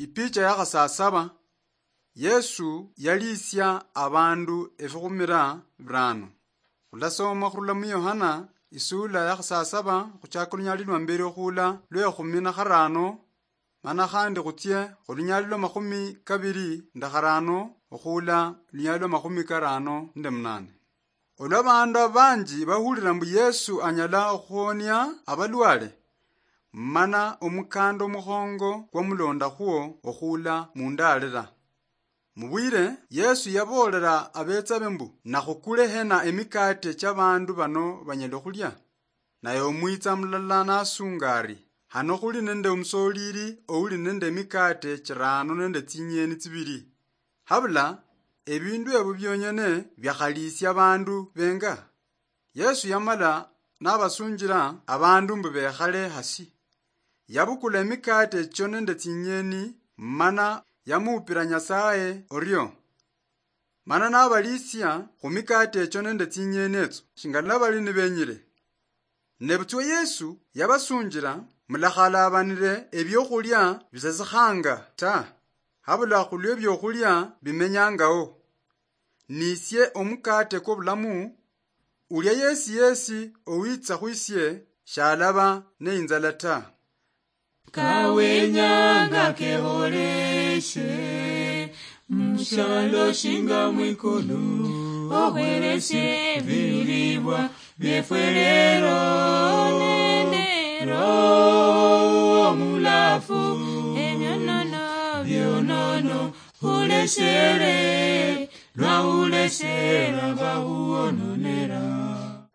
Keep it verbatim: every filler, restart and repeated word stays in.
Ipicha ya khasasaba, Yesu yaliisia abandu efikhumira birano. Khulasoma khurula mu Yohana isuula ya khasasaba khuchaka olunyali lwa mbere okhuula lwe khumi na kharano, mana khandi khutsie khulunyali lwa makhumi kabiri nde kharano okhuula lunyali lwa makhumi karano nde munane. Olwa abandu abanji bahulira mbu Yesu anyala okhuhonia abalwale, mana omukanda omukhongo kwamulondakhwo okhuula mundaalira. Mubwire, Yesu yaboolera abetsabe mbu, "Nakhukule hena emikate chiabandu bano banyala okhulia?" Naye omwitsa mulala nasunga ari, "Hano khuli nende omusoliri ouli nende emikate chirano nende tsinyeni tsibiri. Habula ebindu ebyo bionyene biakhaliisia abandu benga?" Yesu yamala nabasunjira abandu mbu bekhale hasi. Yabukula emikate echio nende tsinyeni, mana yamuupira Nyasaye orio. Mana nabaliisia khu mikate echio nende tsinyeni etso, shinga nabali nibenyire. Nebutswa Yesu yabasunjira, "Mulakhalabanire ebiokhulia bisasikhanga ta, habula khulwe ebiokhulia bimenyangaho. Nisie omukate kwobulamu, ulia yesi yesi owitsa khwisie shalaba neinzala ta." Kawenyanga keholeshe, mushalo shinga mwikulu, ohweleshe ebilibwa biefwe lero, nende Roho Omulafu, ebionono bionono huleshere, lwahuleshera bahuononera.